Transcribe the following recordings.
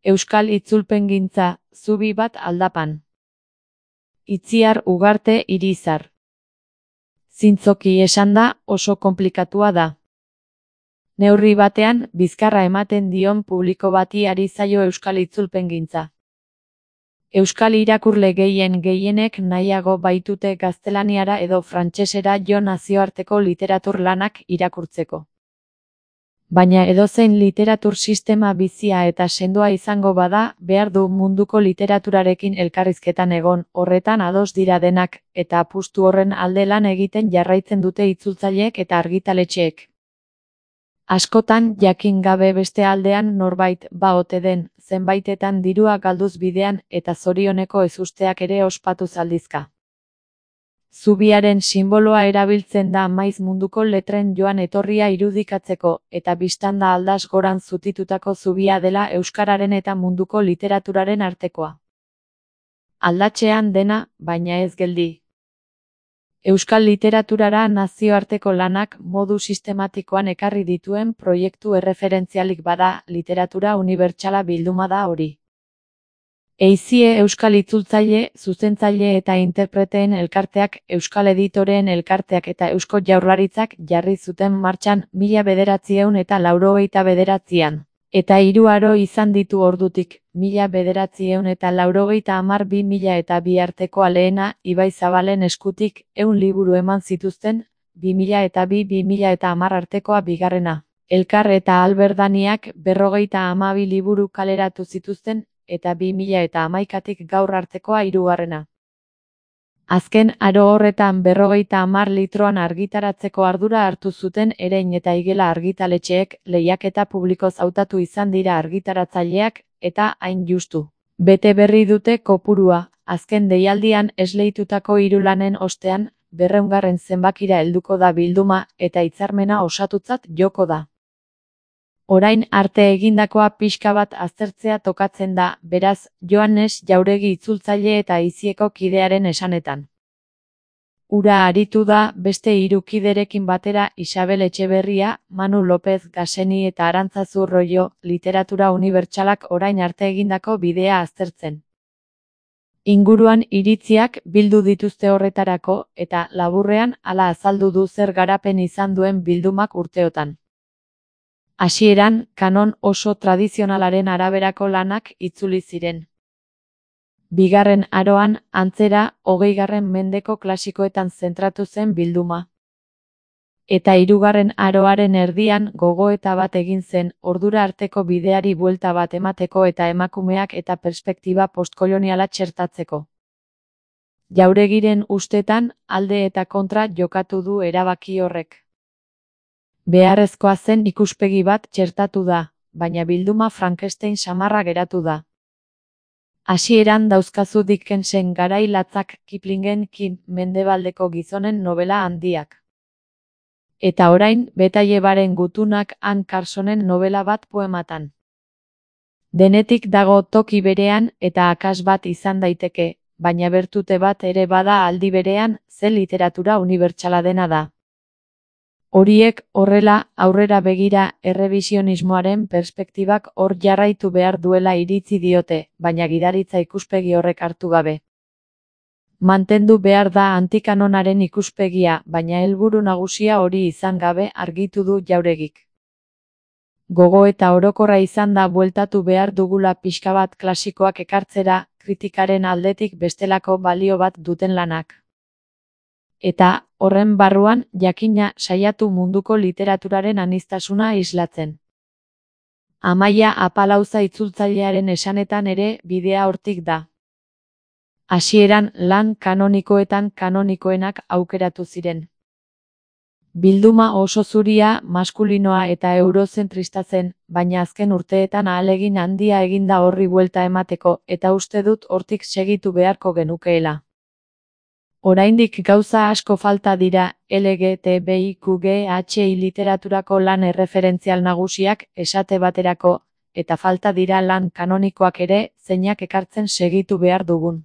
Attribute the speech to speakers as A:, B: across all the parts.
A: Euskal itzulpengintza, zubi bat Aldapan. Itziar Ugarte Irizar. Zintzoki esanda, oso konplikatua da. Neurri batean, bizkarra ematen dion publiko bati ari zaio euskal itzulpengintza. Euskal irakurle gehienek nahiago baitute gaztelaniara edo frantsesera jo nazioarteko literatur lanak irakurtzeko. Baina edozein literatur sistema bizia eta sendoa izango bada, behar du munduko literaturarekin elkarrizketan egon, horretan ados dira denak, eta apustu horren alde lan egiten jarraitzen dute itzultzaileek eta argitaletxeek. Askotan, jakin gabe beste aldean norbait ba ote den, zenbaitetan dirua galduz bidean eta zorioneko ezusteak ere ospatuz aldizka. Zubiaren sinboloa erabiltzen da maiz munduko letren joan etorria irudikatzeko, eta biztanda aldas goran zutitutako zubia dela euskararen eta munduko literaturaren artekoa. Aldatxean dena, baina ez geldi. Euskal literaturara nazioarteko lanak modu sistematikoan ekarri dituen proiektu erreferentzialik bada, literatura unibertsala bilduma da hori. Eizie euskal itzultzaile, zuzentzaile eta interpreteen elkarteak, euskal editoreen elkarteak eta Eusko Jaurlaritzak jarri zuten martxan 1989an. Eta 3 aro izan ditu ordutik, 1990-2002 artekoa lehena, Ibai Zabalen eskutik, 100 liburu eman zituzten, 2002-2010 artekoa bigarrena. Elkar eta Alberdaniak 52 liburu kaleratu zituzten, eta 2011tik gaur artekoa 3. Azken aro horretan 50 litroan argitaratzeko ardura hartu zuten Erein eta Igela argitaletxeek, lehiaketa publikoz hautatu izan dira argitaratzaileak, eta hain justu. Bete berri dute kopurua, azken deialdian esleitutako 3 lanen ostean, 200. zenbakira helduko da bilduma, eta hitzarmena osatutzat joko da. Orain arte egindakoa pixka bat aztertzea tokatzen da, beraz, Joanes Jauregi itzultzaile eta Aizieko kidearen esanetan. Ura aritu da, beste 3 kiderekin batera Isabel Etxeberria, Manu López Gaseni eta Arantzazu Rollo, literatura unibertsalak orain arte egindako bidea aztertzen. Inguruan iritziak bildu dituzte horretarako, eta laburrean hala azaldu du zer garapen izan duen bildumak urteotan. Hasieran, kanon oso tradizionalaren araberako lanak itzuli ziren. Bigarren aroan, antzera, 20. mendeko klasikoetan zentratu zen bilduma. Eta 3. aroaren erdian gogoeta bat egin zen, ordura arteko bideari buelta bat emateko eta emakumeak eta perspektiba postkoloniala txertatzeko. Jauregiren ustetan, alde eta kontra jokatu du erabaki horrek. Beharrezkoa zen ikuspegi bat txertatu da, baina bilduma Frankenstein samarra geratu da. Hasieran dauzkazu Dickensen Garai latzak, Kiplingen Mendebaldeko gizonen nobela handiak. Eta orain, Betaillebaren gutunak Anne Carsonen nobela bat poematan. Denetik dago toki berean eta akats bat izan daiteke, baina bertute bat ere bada aldi berean, ze literatura unibertsala dena da. Horiek, horrela, aurrera begira, errebisionismoaren perspektibak hor jarraitu behar duela iritzi diote, baina gidaritza ikuspegi horrek hartu gabe. Mantendu behar da antikanonaren ikuspegia, baina helburu nagusia hori izan gabe argitu du Jauregik. Gogo eta orokorra izan da bueltatu behar dugula pixka bat klasikoak ekartzera, kritikaren aldetik bestelako balio bat duten lanak. Eta, horren barruan, jakina saiatu munduko literaturaren aniztasuna islatzen. Amaia Apalauza itzultzailearen esanetan ere bidea hortik da. Hasieran lan kanonikoetan kanonikoenak aukeratu ziren. Bilduma oso zuria, maskulinoa eta eurozentrista zen, baina azken urteetan ahalegin handia eginda horri buelta emateko, eta uste dut hortik segitu beharko genukeela. Oraindik gauza asko falta dira, LGTBIQGHI literaturako lan erreferentzial nagusiak, esate baterako, eta falta dira lan kanonikoak ere, zeinak ekartzen segitu behar dugun.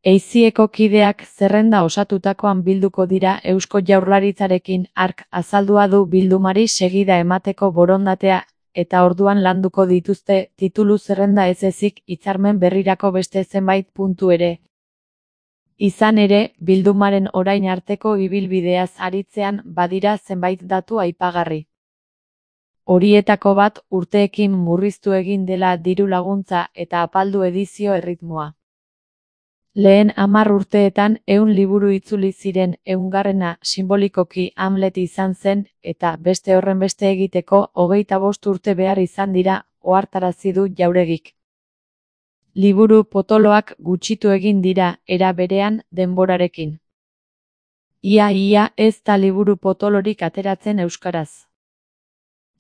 A: Eizieko kideak zerrenda osatutakoan bilduko dira Eusko Jaurlaritzarekin hark azaldua du bildumari segida emateko borondatea, eta orduan landuko dituzte titulu zerrenda ez ezik hitzarmen berrirako beste zenbait puntu ere. Izan ere, bildumaren orain arteko ibilbideaz aritzean badira zenbait datu aipagarri. Horietako bat urteekin murriztu egin dela diru laguntza eta apaldu edizio erritmoa. Lehen 10 urteetan 100 liburu itzuli ziren, 100garrena sinbolikoki Hamlet izan zen, eta beste horrenbeste egiteko 25 urte behar izan dira, ohartarazi du Jauregik. Liburu potoloak gutxitu egin dira, era berean, denborarekin. Ia ez da liburu potolorik ateratzen euskaraz.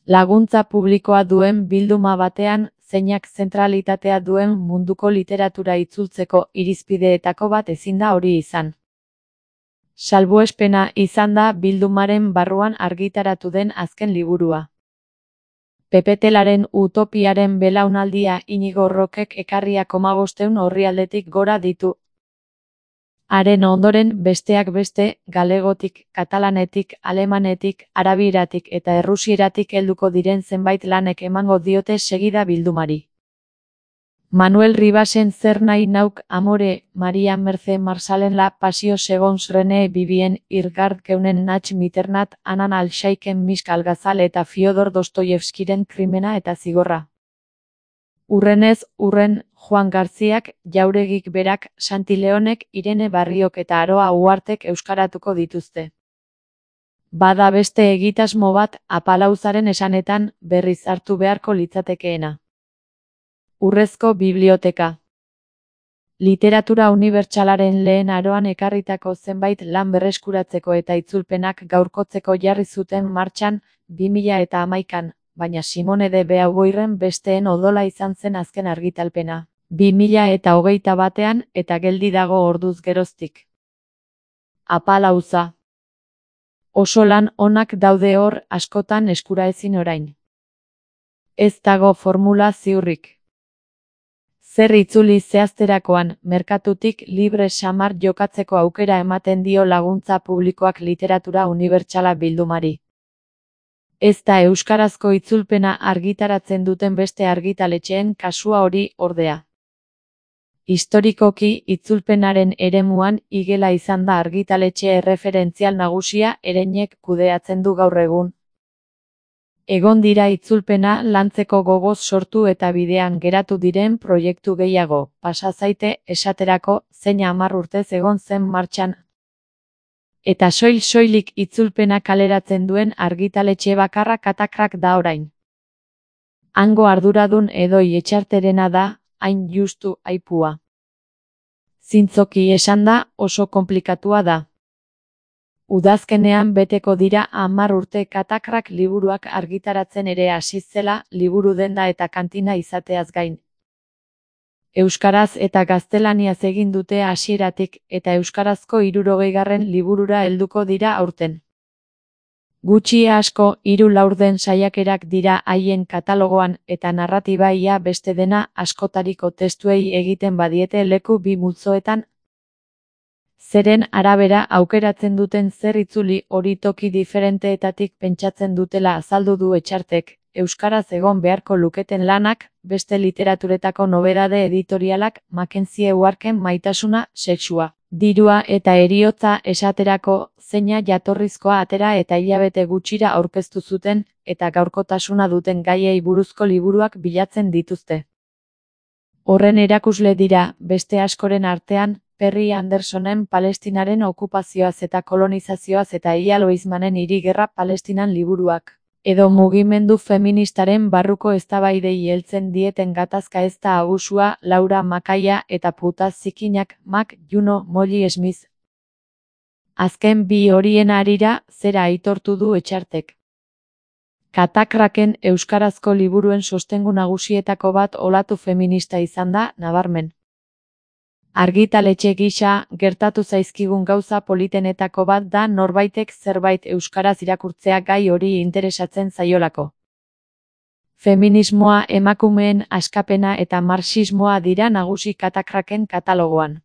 A: Laguntza publikoa duen bilduma batean, zeinak zentralitatea duen munduko literatura itzultzeko irizpideetako bat ezin da hori izan. Salbuespena izan da bildumaren barruan argitaratu den azken liburua. Pepetelaren utopiaren belaunaldia Inigo Rokek ekarriak 1500 orrialdetik gora ditu. Haren ondoren besteak beste, galegotik, katalanetik, alemanetik, arabieratik eta errusieratik helduko diren zenbait lanek emango diote segida bildumari. Manuel Ribasen Zer nahi nauk amore, Maria Mercé Marsalen La pasio segons René Vivien, Irgard Keunen Nach Miternat, Anan Alxaiken Misk Algazal eta Fiodor Dostoievskiren Krimena eta zigorra. Urrenez urren, Juan Garziak, Jauregik berak, Santi Leonek, Irene Barriok eta Aroa Uhartek euskaratuko dituzte. Bada beste egitasmo bat, Apalauzaren esanetan, berriz hartu beharko litzatekeena. Urrezko biblioteka. Literatura unibertsalaren lehen aroan ekarritako zenbait lan berreskuratzeko eta itzulpenak gaurkotzeko jarri zuten martxan 2011an, baina Simone de Beauvoirren besteen odola izan zen azken argitalpena. 2021an eta geldi dago orduz geroztik. Apalauza. Oso lan onak daude hor, askotan eskuraezin orain. Ez dago formula ziurrik. Zer itzuli zehazterakoan, merkatutik libre samar jokatzeko aukera ematen dio laguntza publikoak literatura unibertsala bildumari. Ez da euskarazko itzulpena argitaratzen duten beste argitaletxeen kasua hori, ordea. Historikoki, itzulpenaren eremuan Igela izan da argitaletxe erreferentzial nagusia Ereinek kudeatzen du gaur egun. Egon dira itzulpena lantzeko gogoz sortu eta bidean geratu diren proiektu gehiago, pasa zaite, esaterako, zein 10 urtez egon zen martxan. Eta soilik itzulpena kaleratzen duen argitaletxe bakarra Katakrak da orain. Hango arduradun Edoi Etxarterena da, hain justu aipua. Zintzoki esanda, oso konplikatua da. Udazkenean beteko dira 10 urte Katakrak liburuak argitaratzen ere hasi zela, liburu denda eta kantina izateaz gain. Euskaraz eta gaztelaniaz egin dute hasieratik, eta euskarazko 60. liburura helduko dira aurten. Gutxi asko, 3 laurden saiakerak dira haien katalogoan, eta narratiba ia beste dena askotariko testuei egiten badiete leku bi multzoetan. Zeren arabera aukeratzen duten zer itzuli hori toki diferenteetatik pentsatzen dutela azaldu du Etxartek, euskaraz egon beharko luketen lanak, beste literaturetako nobedade editorialak, Mackenzie Uharken Maitasuna, sexua, dirua eta heriotza esaterako, zeina jatorrizkoa atera eta hilabete gutxira aurkeztu zuten, eta gaurkotasuna duten gaiei buruzko liburuak bilatzen dituzte. Horren erakusle dira, beste askoren artean, Perry Andersonen Palestinaren okupazioaz eta kolonizazioaz eta Ialo Eismanen Hiri Gerra Palestinan liburuak. Edo mugimendu feministaren barruko eztabaidei heltzen dieten gatazka ez da abusua, Laura Makaia eta puta zikinak, Mac, Juno, Molly Smith. Azken bi horien harira, zera aitortu du Etxartek. Katakraken euskarazko liburuen sostengu nagusietako bat olatu feminista izan da, nabarmen. Argitaletxe gisa, gertatu zaizkigun gauza politenetako bat da norbaitek zerbait euskaraz irakurtzea gai hori interesatzen zaiolako. Feminismoa, emakumeen askapena eta marxismoa dira nagusi Katakraken katalogoan.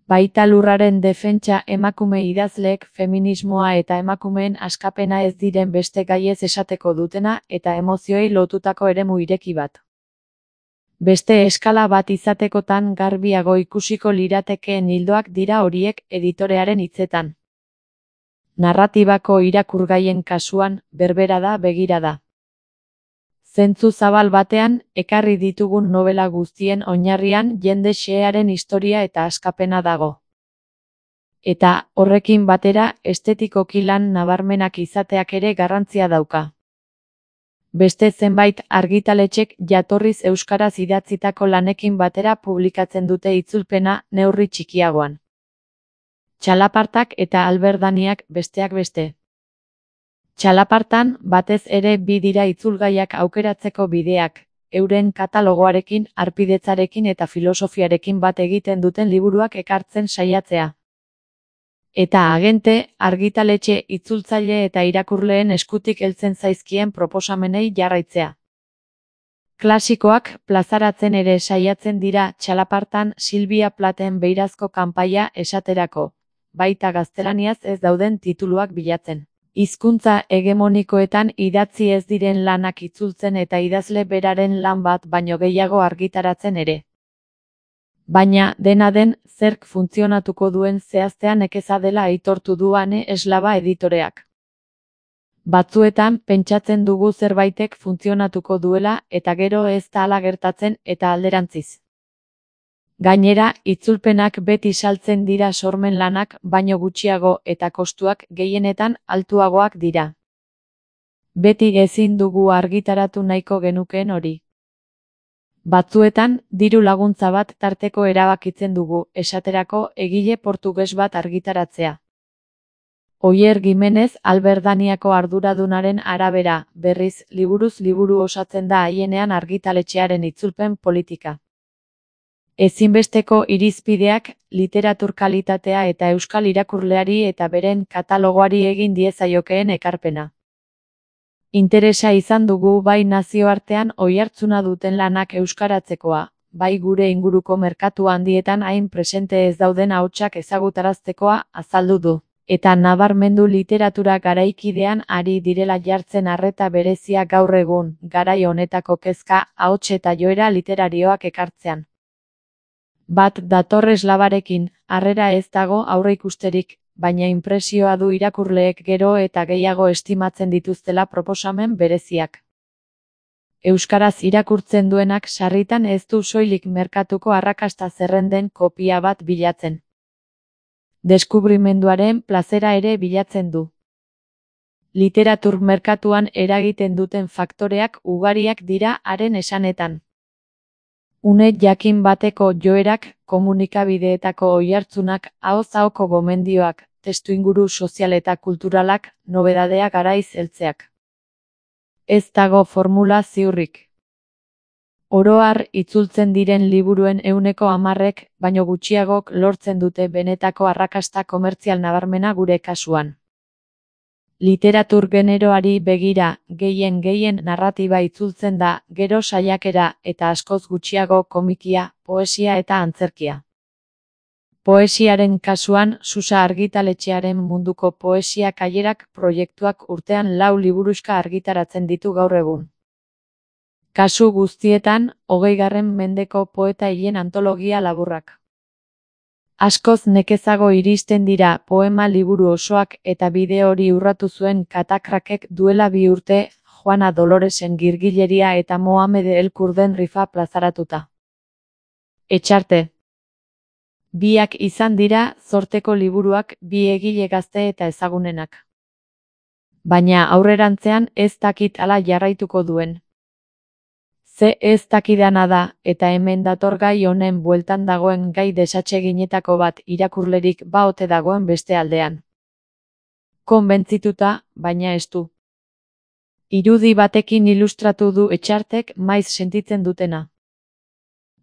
A: Baita lurraren defentsa emakume idazleek feminismoa eta emakumeen askapena ez diren beste gaiez esateko dutena eta emozioei lotutako eremu ireki bat. Beste eskala bat izatekotan garbiago ikusiko liratekeen ildoak dira horiek editorearen hitzetan. Narratibako irakurgaien kasuan, berbera da begirada. Zentzu zabal batean, ekarri ditugun novela guztien oinarrian jende xehearen historia eta askapena dago. Eta, horrekin batera, estetikoki lan nabarmenak izateak ere garrantzia dauka. Beste zenbait argitaletxek jatorriz euskaraz idatzitako lanekin batera publikatzen dute itzulpena neurri txikiagoan. Txalapartak eta Alberdaniak besteak beste. Txalapartan, batez ere bi dira itzulgaiak aukeratzeko bideak, euren katalogoarekin, harpidetzarekin eta filosofiarekin bat egiten duten liburuak ekartzen saiatzea. Eta agente, argitaletxe, itzultzaile eta irakurleen eskutik heltzen zaizkien proposamenei jarraitzea. Klasikoak plazaratzen ere saiatzen dira txalapartan Silvia Platen beirazko kanpaia esaterako, baita gaztelaniaz ez dauden tituluak bilatzen. Hizkuntza hegemonikoetan idatzi ez diren lanak itzultzen eta idazle beraren lan bat baino gehiago argitaratzen ere. Baina, dena den, zerk funtzionatuko duen zehaztea nekeza dela aitortu du Ane Eslava editoreak. Batzuetan, pentsatzen dugu zerbaitek funtzionatuko duela eta gero ez da hala gertatzen eta alderantziz. Gainera, itzulpenak beti saltzen dira sormen lanak baino gutxiago eta kostuak gehienetan altuagoak dira. Beti ezin dugu argitaratu nahiko genukeen hori. Batzuetan, diru laguntza bat tarteko erabakitzen dugu, esaterako egile portuges bat argitaratzea. Oier Gimenez Alberdaniako arduradunaren arabera, berriz, liburuz liburu osatzen da haienean argitaletxearen itzulpen politika. Ezinbesteko irizpideak, literatur kalitatea eta euskal irakurleari eta beren katalogoari egin diezaiokeen ekarpena. Interesa izan dugu bai nazioartean oihartzuna duten lanak euskaratzekoa, bai gure inguruko merkatu handietan hain presente ez dauden ahotsak ezagutaraztekoa azaldu du. Eta nabarmendu literatura garaikidean ari direla jartzen arreta berezia gaur egun, garai honetako kezka, ahots eta joera literarioak ekartzean. Bat dator Eslavarekin, harrera ez dago aurreikusterik, baina inpresioa du irakurleek gero eta gehiago estimatzen dituztela proposamen bereziak. Euskaraz irakurtzen duenak sarritan ez du soilik merkatuko arrakasta zerrenden kopia bat bilatzen. Deskubrimenduaren plazera ere bilatzen du. Literatur merkatuan eragiten duten faktoreak ugariak dira haren esanetan. Une jakin bateko joerak, komunikabideetako oihartzunak, ahoz ahoko gomendioak, testuinguru sozial eta kulturalak, nobedadea garaiz heltzeak. Ez dago formula ziurrik. Oro har itzultzen diren liburuen 10%, baino gutxiagok lortzen dute benetako arrakasta komertzial nabarmena gure kasuan. Literatur generoari begira, gehien narratiba itzultzen da, gero saiakera eta askoz gutxiago komikia, poesia eta antzerkia. Poesiaren kasuan, Susa argitaletxearen munduko poesia kailerak proiektuak urtean 4 liburuxka argitaratzen ditu gaur egun. Kasu guztietan, 20. mendeko poeta hilen antologia laburrak. Askoz nekezago iristen dira poema liburu osoak eta bideo hori urratu zuen Katakrakek duela 2 urte, Juana Doloresen Girgileria eta Mohamed El Kurden Rifa plazaratuta. Etxarte. Biak izan dira zorteko liburuak bi egile gazte eta ezagunenak. Baina aurrerantzean ez dakit hala jarraituko duen. Ze ez dakidana da, eta hemen dator gai honen bueltan dagoen gai desatseginetako bat irakurlerik baote dagoen beste aldean. Konbentzituta, baina ez du. Irudi batekin ilustratu du Etxartek maiz sentitzen dutena.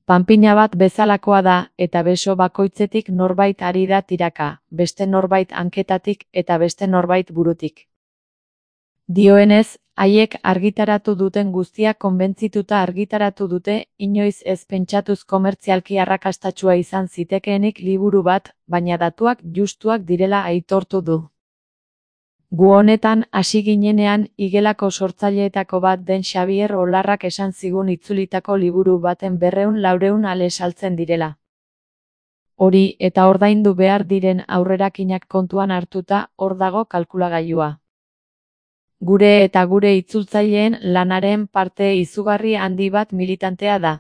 A: Panpina bat bezalakoa da, eta beso bakoitzetik norbait ari da tiraka, beste norbait hanketatik eta beste norbait burutik. Dioenez, haiek argitaratu duten guztia konbentzituta argitaratu dute, inoiz ez pentsatuz komertzialki arrakastatsua izan zitekeenik liburu bat, baina datuak justuak direla aitortu du. Gu honetan hasi ginenean igelako sortzaileetako bat den Xabier Olarrak esan zigun itzulitako liburu baten 200-400 ale saltzen direla. Hori eta ordaindu behar diren aurrerakinak kontuan hartuta, hor dago kalkulagailua. Gure eta gure itzultzaileen lanaren parte izugarri handi bat militantea da.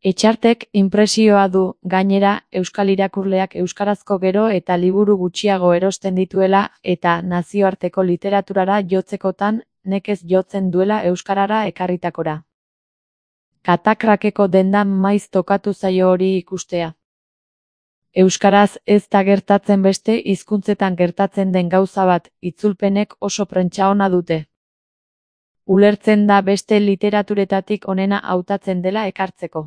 A: Etxartek inpresioa du, gainera, euskal irakurleak euskarazko gero eta liburu gutxiago erosten dituela eta nazioarteko literaturara jotzekotan nekez jotzen duela euskarara ekarritakora. Katakrakeko dendan maiz tokatu zaio hori ikustea. Euskaraz ez da gertatzen beste hizkuntzetan gertatzen den gauza bat, itzulpenek oso prentsa ona dute. Ulertzen da beste literaturetatik onena hautatzen dela ekartzeko.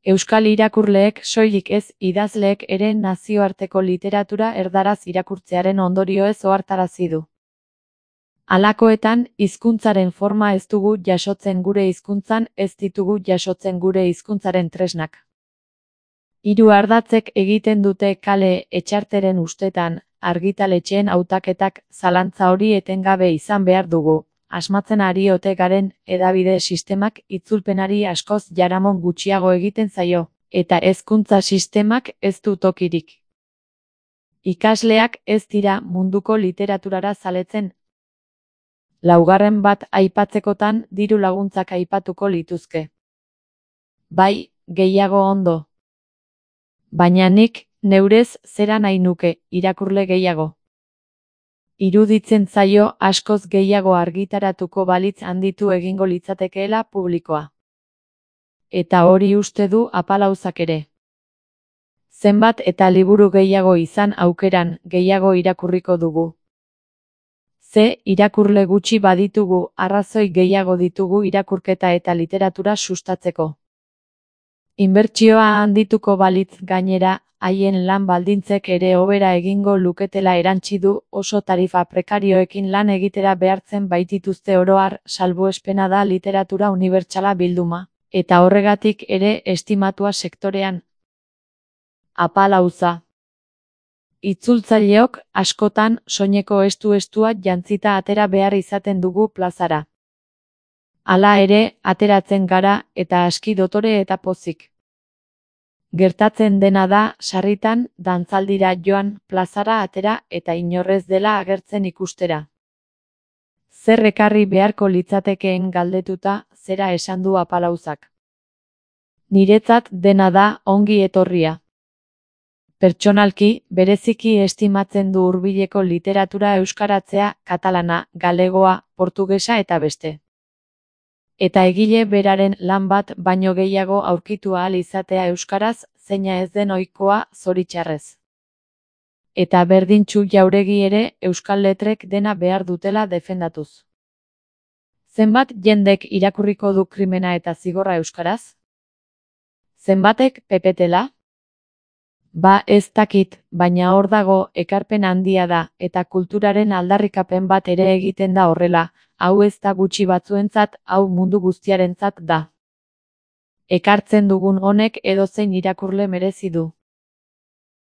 A: Euskal irakurleek soilik ez idazleek ere nazioarteko literatura erdaraz irakurtzearen ondorioez ohartarazi du. Halakoetan, hizkuntzaren forma ez dugu jasotzen gure hizkuntzan, ez ditugu jasotzen gure hizkuntzaren tresnak. Hiru ardatzek egiten dute kale Etxarteren ustetan, argitaletxeen hautaketak zalantza hori etengabe izan behar dugu. Asmatzen ari ote garen hedabide sistemak itzulpenari askoz jaramon gutxiago egiten zaio, eta hezkuntza sistemak ez du tokirik. Ikasleak ez dira munduko literaturara zaletzen. Laugarren bat aipatzekotan diru laguntzak aipatuko lituzke. Bai, gehiago ondo. Baina nik, neurez, zera nahi nuke, irakurle gehiago. Iruditzen zaio askoz gehiago argitaratuko balitz handitu egingo litzatekeela publikoa. Eta hori uste du apalauzak ere. Zenbat eta liburu gehiago izan aukeran, gehiago irakurriko dugu. Ze irakurle gutxi baditugu, arrazoi gehiago ditugu irakurketa eta literatura sustatzeko. Inbertsioa handituko balitz gainera, haien lan baldintzek ere hobera egingo luketela erantsi du, oso tarifa prekarioekin lan egitera behartzen baitituzte oro har, salbuespena da literatura unibertsala bilduma, eta horregatik ere estimatua sektorean. Apalauza. Itzultzaileok askotan soineko estu-estua jantzita atera behar izaten dugu plazara. Hala ere, ateratzen gara eta aski dotore eta pozik. Gertatzen dena da, sarritan, dantzaldira joan, plazara atera eta inorrez dela agertzen ikustera. Zer ekarri beharko litzatekeen galdetuta, zera esan du apalauzak. Niretzat dena da ongi etorria. Pertsonalki, bereziki estimatzen du hurbileko literatura euskaratzea, katalana, galegoa, portugesa eta beste. Eta egile beraren lan bat baino gehiago aurkitu ahal izatea euskaraz, zeina ez den ohikoa, zoritxarrez. Eta Berdintsu Jauregi ere euskal letrek dena behar dutela defendatuz. Zenbat jendek irakurriko du Krimena eta Zigorra euskaraz? Zenbatek pepetela? Ba ez dakit, baina hor dago ekarpen handia da, eta kulturaren aldarrikapen bat ere egiten da horrela, hau ez da gutxi batzuentzat, hau mundu guztiarentzat da. Ekartzen dugun honek edozein irakurle merezi du.